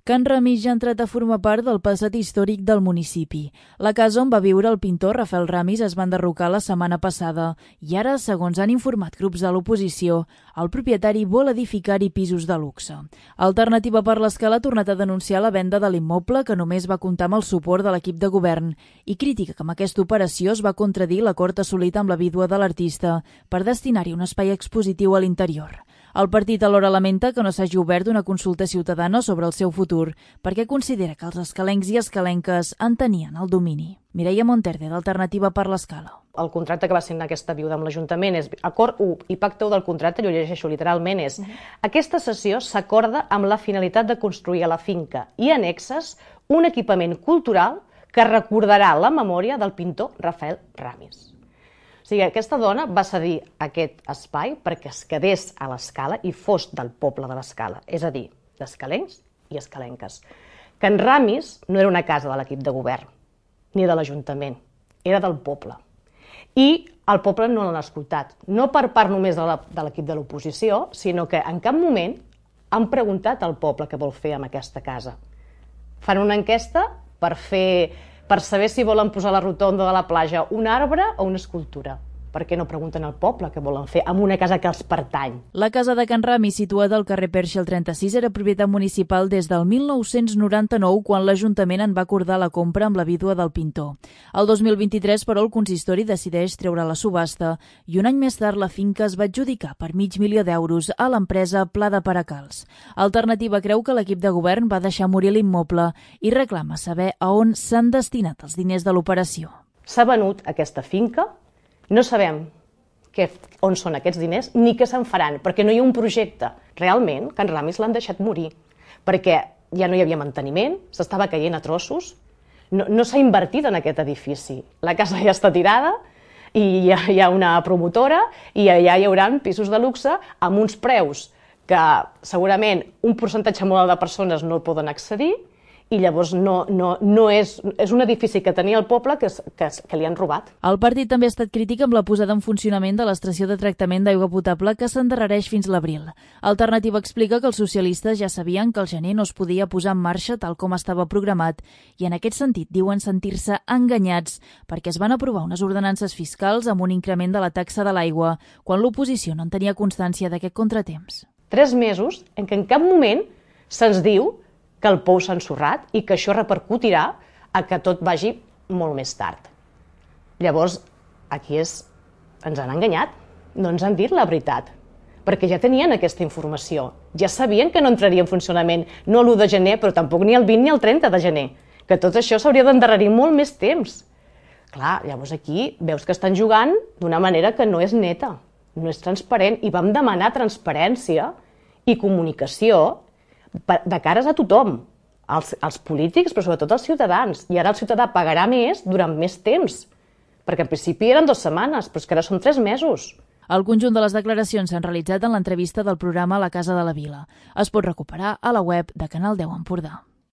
Can Ramis ja ha entrat a formar part del passat històric del municipi. La casa on va viure el pintor Rafael Ramis es va enderrocar la setmana passada i ara, segons han informat grups de l'oposició, el propietari vol edificar-hi pisos de luxe. Alternativa per l'Escala ha tornat a denunciar la venda de l'immoble, que només va comptar amb el suport de l'equip de govern, i crítica que amb aquesta operació es va contradir l'acord assolit amb la vídua de l'artista per destinar-hi un espai expositiu a l'interior. El partit alhora lamenta que no s'hagi obert una consulta ciutadana sobre el seu futur perquè considera que els escalencs i escalenques en tenien el domini. Mireia Monterde, d'Alternativa per l'Escala. El contracte que va signar aquesta viuda amb l'Ajuntament és acord 1 i pacte 1 del contracte, jo llegeixo literalment, és aquesta cessió s'acorda amb la finalitat de construir a la finca i annexes un equipament cultural que recordarà la memòria del pintor Rafael Ramis. O sigui, aquesta dona va cedir aquest espai perquè es quedés a l'Escala i fos del poble de l'Escala, és a dir, d'escalencs i escalenques. Can Ramis no era una casa de l'equip de govern, ni de l'Ajuntament, era del poble. I el poble no l'ha escoltat, no per part només de l'equip de l'oposició, sinó que en cap moment han preguntat al poble què vol fer amb aquesta casa. Fan una enquesta per saber si volen posar a la rotonda de la platja un arbre o una escultura. Per què no pregunten al poble què volen fer amb una casa que els pertany? La casa de Can Ramis, situada al carrer Perxa al 36, era propietat municipal des del 1999, quan l'Ajuntament en va acordar la compra amb la vídua del pintor. El 2023, però, el consistori decideix treure la subhasta i un any més tard la finca es va adjudicar per $500.000 a l'empresa Pla de Peracals. Alternativa creu que l'equip de govern va deixar morir l'immoble i reclama saber a on s'han destinat els diners de l'operació. S'ha venut aquesta finca. No sabem on són aquests diners ni què se'n faran, perquè no hi ha un projecte. Realment, Can Ramis l'han deixat morir, perquè ja no hi havia manteniment, s'estava caient a trossos, no s'ha invertit en aquest edifici. La casa ja està tirada i hi ha una promotora i allà hi haurà pisos de luxe amb uns preus que segurament un percentatge molt alt de persones no el poden accedir, i llavors és un edifici que tenia el poble que li han robat. El partit també ha estat crític amb la posada en funcionament de l'estació de tractament d'aigua potable que s'endarrereix fins l'abril. Alternativa explica que els socialistes ja sabien que el gener no es podia posar en marxa tal com estava programat i en aquest sentit diuen sentir-se enganyats perquè es van aprovar unes ordenances fiscals amb un increment de la taxa de l'aigua quan l'oposició no en tenia constància d'aquest contratemps. 3 mesos en què en cap moment se'ns diu que el pou s'ha ensorrat i que això repercutirà a que tot vagi molt més tard. Llavors, aquí ens han enganyat, no ens han dit la veritat, perquè ja tenien aquesta informació, ja sabien que no entraria en funcionament, no l'1 de gener, però tampoc ni el 20 ni el 30 de gener, que tot això s'hauria d'endarrerir molt més temps. Clar, llavors aquí veus que estan jugant d'una manera que no és neta, no és transparent, i vam demanar transparència i comunicació de cares a tothom, als polítics, però sobretot als ciutadans. I ara el ciutadà pagarà més durant més temps, perquè en principi eren 2 setmanes, però és que ara són 3 mesos. El conjunt de les declaracions s'han realitzat en l'entrevista del programa La Casa de la Vila. Es pot recuperar a la web de Canal 10 Empordà.